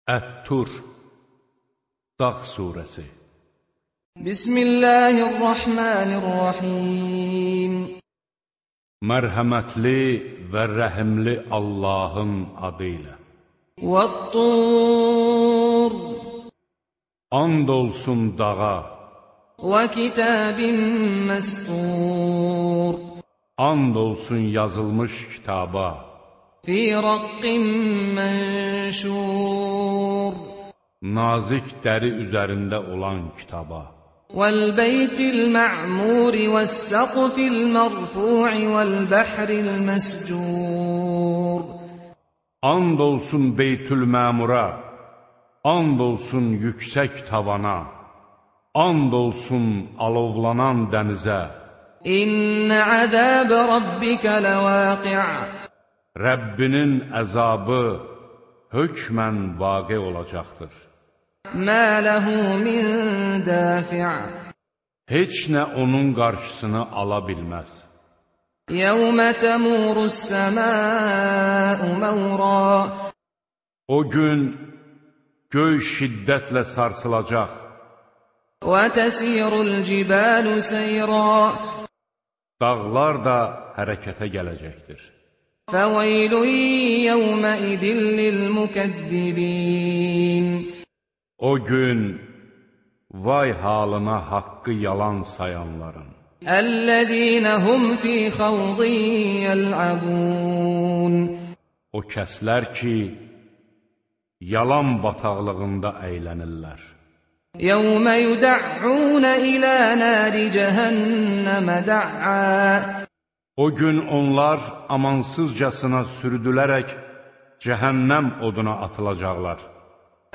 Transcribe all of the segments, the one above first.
Ət-Tur Dağ Suresi Bismillahirrahmanirrahim. Mərhəmətli və rəhimli Allahın adıyla. Vat-Tur And olsun dağa. və kitabin məstur. And olsun yazılmış kitaba. Fi raqqin mənşur. Nazik dəri üzərində olan kitaba. Vəl-beytil ma'muri vəs-saqfil mərfu'i vəl-bəhril məscur. And olsun Beytül-Məmura. And olsun yüksək tavana. And olsun alovlanan dənizə. İnnə əzəbə rabbikə ləvaqi'. Rəbbinin əzabı hökmən vaqe olacaqdır. Mə ləhu min dafi'. Heç nə onun qarşısını ala bilməz. Yəvmə təmurus-səmâ'u məvrâ. O gün göy şiddətlə sarsılacaq. Və təsirul-cibalu seyrâ. Dağlar da hərəkətə gələcəkdir. Fəveylun yəvməidin lil-mükəddibin. O gün vay halına haqqı yalan sayanların. Əl-ləzīnə hum fī xawdin yəl'abun. O kəslər ki, yalan bataqlığında əylənirlər. Yəvmə yudə'un ilə nəri cəhənnəmə də'ə. O gün onlar amansızcasına sürüdülərək cəhənnəm oduna atılacaqlar.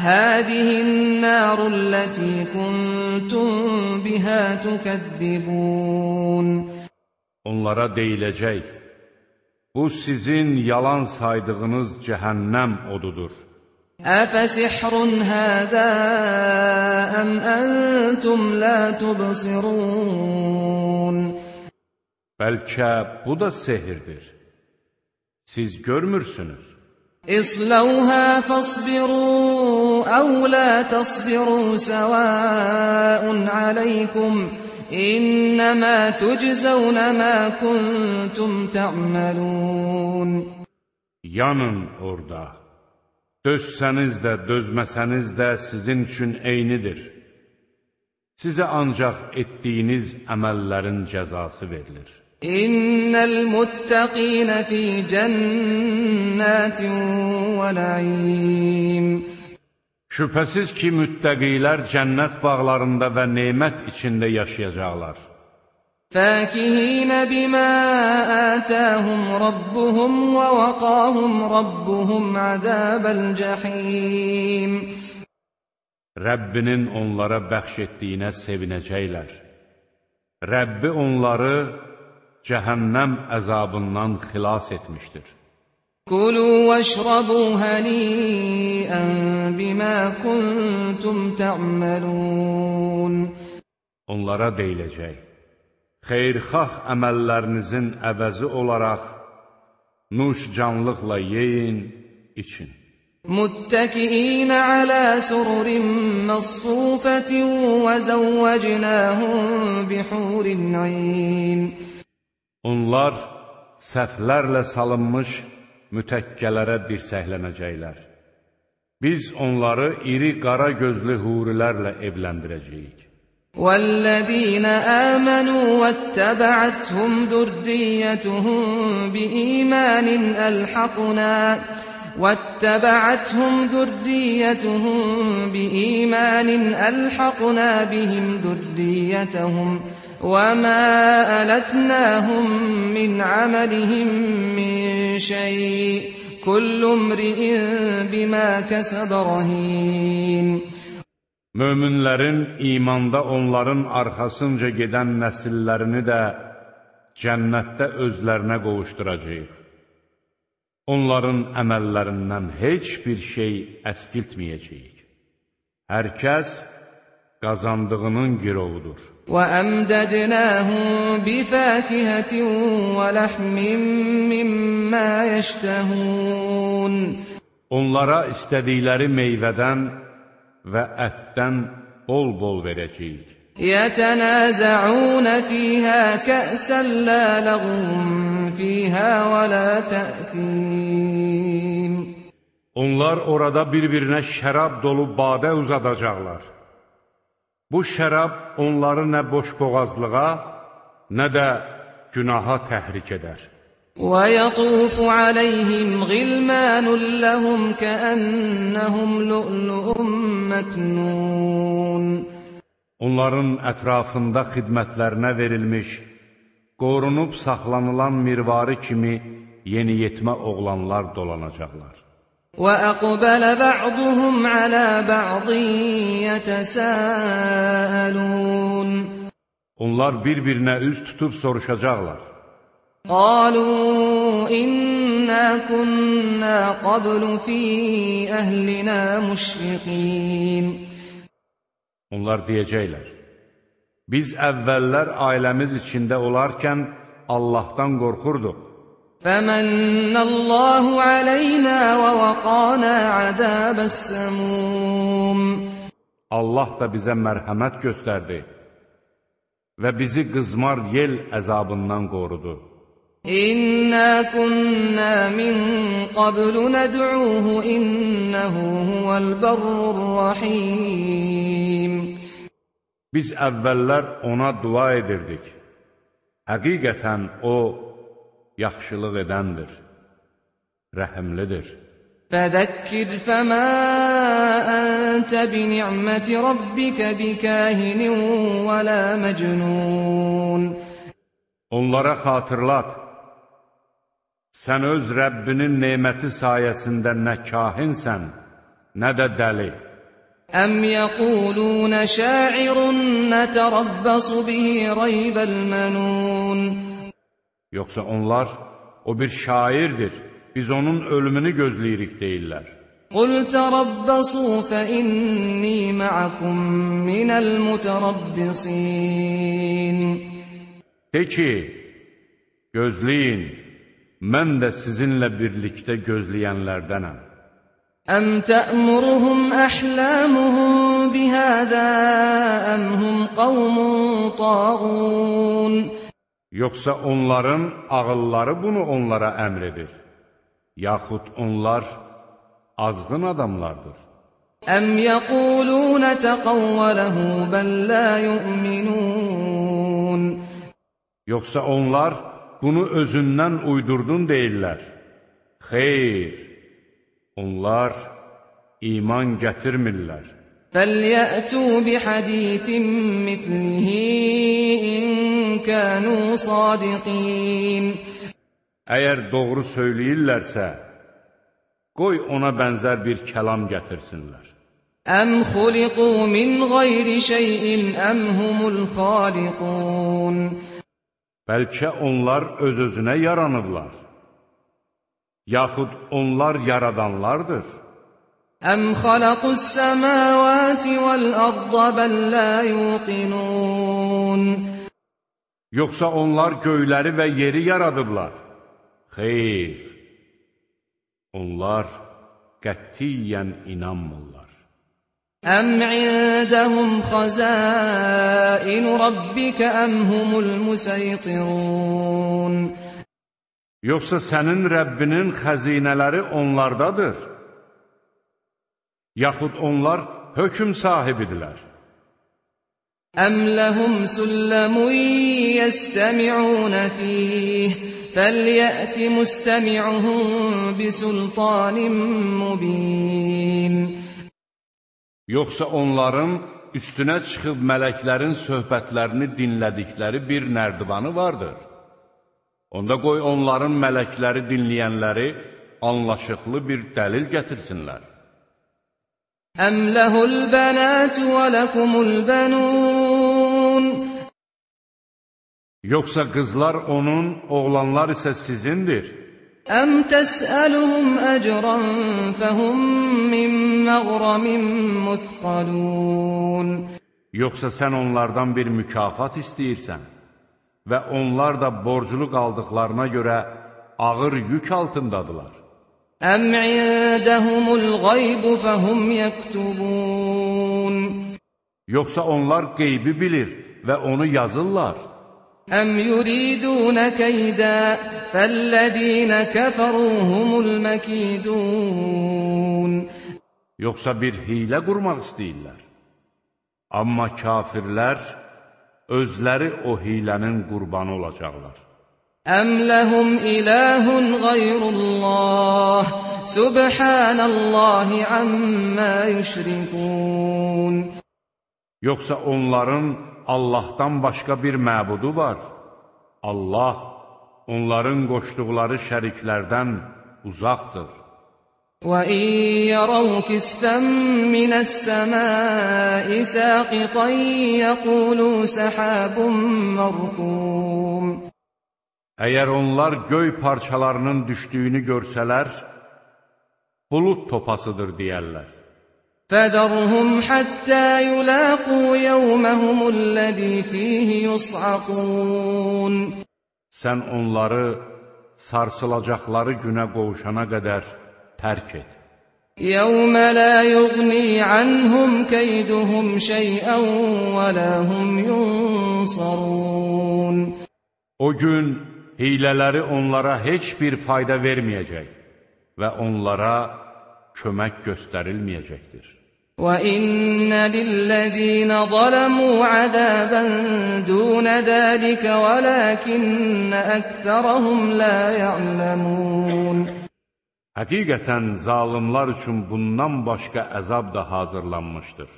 Həzihin-nârullətī kuntum bihə tükəzzibun. Onlara deyiləcək, bu sizin yalan saydığınız cəhənnəm odudur. Əfəsihrun həzə əm əntum lə tubsirun. Bəlkə bu da sehirdir. Siz görmürsünüz. İsləvhə fəsbiru əv lə təsbiru səvəun aləykum. İnnəmə tüczəvnə mə kuntum tə'məlun. Yanın orada. Dözsəniz də, dözməsəniz də sizin üçün eynidir. Sizə ancaq etdiyiniz əməllərin cəzası verilir. İnnəl muttəqinə fī cənnətin və nə'im. Şübhəsiz ki, müttəqilər cənnət bağlarında və nemət içində yaşayacaqlar. Fəkihinə bimə ətəhum rabbuhum və vəqahum rabbuhum əzəbəl cəhim. Rəbbinin onlara bəxş etdiyinə sevinəcəklər. Rəbbi onları cəhənnəm əzabından xilas etmişdir. Kulu vəşrabu həniyən bimə kuntum tə'məlun. Onlara deyiləcək, xeyrxax əməllərinizin əvəzi olaraq nuş canlıqla yeyin, için. Muttəkiinə alə sururin məsfufətin və zəvvəcnəhum bihurin ayn. Onlar səhvlərlə salınmış mütəkkələrə dirsəklənəcəklər. Biz onları iri qara gözlü hurilərlə evləndirəcəyik. وَالَّذِينَ آمَنُوا وَاتَّبَعَتْهُمْ ذُرِّيَّتُهُم بِإِيمَانٍ أَلْحَقْنَا بِهِمْ ذُرِّيَّتَهُمْ وَمَا أَلَتْنَاهُمْ مِنْ عَمَلِهِمْ مِنْ شَيْءٍ كُلُّ امْرِئٍ بِمَا كَسَبَ رَهِينٌ. Möminlərin imanda onların arxasınca gedən nəsillərini də cənnətdə özlərinə qovuşduracaq. Onların əməllərindən heç bir şey əskiltməyəcəyik. Hər kəs qazandığının girovudur. وَأَمْدَدْنَاهُمْ بِفَاكِهَةٍ وَلَحْمٍ مِّمَّا يَشْتَهُونَ. Onlara istədikləri meyvədən və ətdən bol-bol verəcəyik. يَتَنَازَعُونَ فِيهَا كَأْسًا لَا لَغْوٌ فِيهَا وَلَا تَأْثِيمٌ Onlar orada bir-birinə şərab dolu badə uzadacaqlar. Bu şərab onları nə boşboğazlığa, nə də günaha təhrik edər. وَيَطُوفُ عَلَيْهِمْ غِلْمَانٌ لَهُمْ كَأَنَّهُمْ لُؤْلُؤٌ مَكْنُونٌ Onların ətrafında xidmətlərinə verilmiş, qorunub saxlanılan mirvari kimi yeniyetmə oğlanlar dolanacaqlar. وَأَقْبَلَ بَعْضُهُمْ عَلَى بَعْضٍ يَتَسَاءَلُونَ Onlar bir-birinə üz tutub soruşacaqlar. قَالُوا إِنَّا كُنَّا قَبْلُ فِي أَهْلِنَا مُشْفِقِينَ Onlar deyəcəklər, biz əvvəllər ailəmiz içində olarkən Allahdan qorxurduq. فَمَنَّ اللَّهُ عَلَيْنَا وَوَقَانَا عَذَابَ السَّمُومِ Allah da bizə mərhəmət göstərdi və bizi qızmar yel əzabından qorudu. İnna kunna min qablu nad'uuhu innehu huvel berrur rahim Biz əvvəllər ona dua edirdik. Həqiqətən o yaxşılıq edəndir, rəhimlidir. Fəzəkkir fəmə əntə bini'məti rabbikə bikahinin və la məcnun Onlara xatırlat, sən öz Rəbbinin neməti sayəsində nə kahinsən, nə də dəli. Əm yəqulunə şairun nətərabbasu bihi raybəl mənun Yoxsa onlar, o bir şairdir, biz onun ölümünü gözləyirik deyirlər. Qul tərabbasu fə inni mə'akum minəl mütərabbisin De ki, gözləyin, mən də sizinlə birlikdə gözləyənlərdənəm. Əm tə'muruhum əhləmuhum bihədə əmhum qavmun tağun Yoxsa onların ağılları bunu onlara əmr edir, yaxud onlar azğın adamlardır. Əm yəqulunə təqavvələhu bəl lə yu'minun Yoxsa onlar bunu özündən uydurdun deyirlər. Xeyr, onlar iman gətirmirlər. Fəlyətū bihədithin mitlihi in kənu sadiqin Əgər doğru söyləyirlərsə, qoy ona bənzər bir kəlam gətirsinlər. Əm xuliqu min qayri şeyin əm humul xaliqun Bəlkə onlar öz-özünə yaranıblar, yaxud onlar yaradanlardır. Əm xalaqus səməvəti vəl-ərdə bəl lə yuqinun Yoxsa onlar göyləri və yeri yaradıblar. Xeyr, onlar qətiyyən inanmırlar. Əm indəhum xəzainu rabbikə əm humul musaytirun Yoxsa sənin Rəbbinin xəzinələri onlardadır, yaxud onlar hökm sahibidirlər. Əm ləhum sülləmun yəstəmi'unə fiyh fəlyəti müstəmi'uhum bisultanin mubin Yoxsa onların üstünə çıxıb mələklərin söhbətlərini dinlədikləri bir nərdivanı vardır. Onda qoy onların mələkləri dinləyənləri anlaşıqlı bir dəlil gətirsinlər. Əm ləhul bənətü və ləkumul bənun Yoxsa qızlar onun, oğlanlar isə sizindir. Əm təsəluhum əcran fəhum min məğramin müthqalun Yoxsa sən onlardan bir mükafat istəyirsən və onlar da borclu qaldıqlarına görə ağır yük altındadılar. أَمْ عِندَهُمُ الْغَيْبُ فَهُمْ يَكْتُبُونَ Yoxsa onlar qeybi bilir və onu yazırlar. أَمْ يُرِيدُونَ كَيْدًا فَالَّذِينَ كَفَرُوا هُمُ الْمَكِيدُونَ Yoxsa bir hilə qurmaq istəyirlər. Amma kafirlər özləri o hilənin qurbanı olacaqlar. أَمْ لَهُمْ إِلَٰهٌ غَيْرُ اللَّهِ سُبْحَانَ اللَّهِ عَمَّا يُشْرِكُونَ Yoxsa onların Allahdan başqa bir məbudu var. Allah onların qoşduqları şəriklərdən uzaqdır. وَإِن يَرَوْا كِسْفًا مِّنَ السَّمَاءِ سَاقِطًا يَقُولُوا سَحَابٌ مَّرْكُومٌ Əgər onlar göy parçalarının düşdüyünü görsələr, bulud topasıdır deyərlər. فَذَرْهُمْ حَتَّى يُلَاقُوا يَوْمَهُمُ الَّذِي فِيهِ يُصْعَقُونَ Sən onları sarsılacaqları günə qovuşana qədər tərk et. يَوْمَ لَا يُغْنِي عَنْهُمْ كَيْدُهُمْ شَيْئًا وَلَا هُمْ يُنصَرُونَ O gün hilələri onlara heç bir fayda verməyəcək və onlara kömək göstərilməyəcəkdir. وَإِنَّ لِلَّذِينَ ظَلَمُوا عَذَابًا دُونَ ذَلِكَ وَلَكِنَّ أَكْثَرَهُمْ لَا يَعْلَمُونَ Həqiqətən zalimlar üçün bundan başqa əzab da hazırlanmışdır.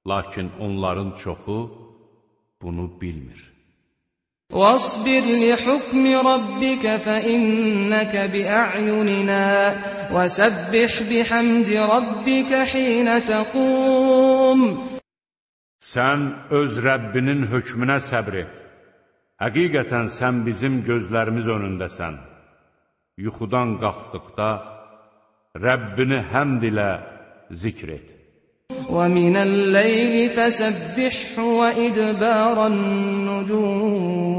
Lakin onların çoxu bunu bilmir. وَاصْبِرْ لِحُكْمِ رَبِّكَ فَإِنَّكَ بِأَعْيُنِنَا وَسَبِّحْ بِحَمْدِ رَبِّكَ حِينَ تَقُومُ Sən öz Rəbbinin hökmünə səbr et. Həqiqətən sən bizim gözlərimiz önündəsən. Yuxudan qalxdıqda Rəbbini həmd ilə zikr et. وَمِنَ اللَّيْلِ فَسَبِّحْهُ وَإِدْبَارَ النُّجُومِ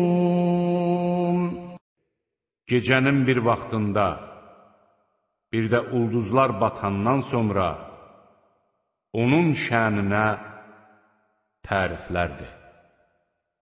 Gecənin bir vaxtında, bir də ulduzlar batandan sonra onun şəninə təriflərdir.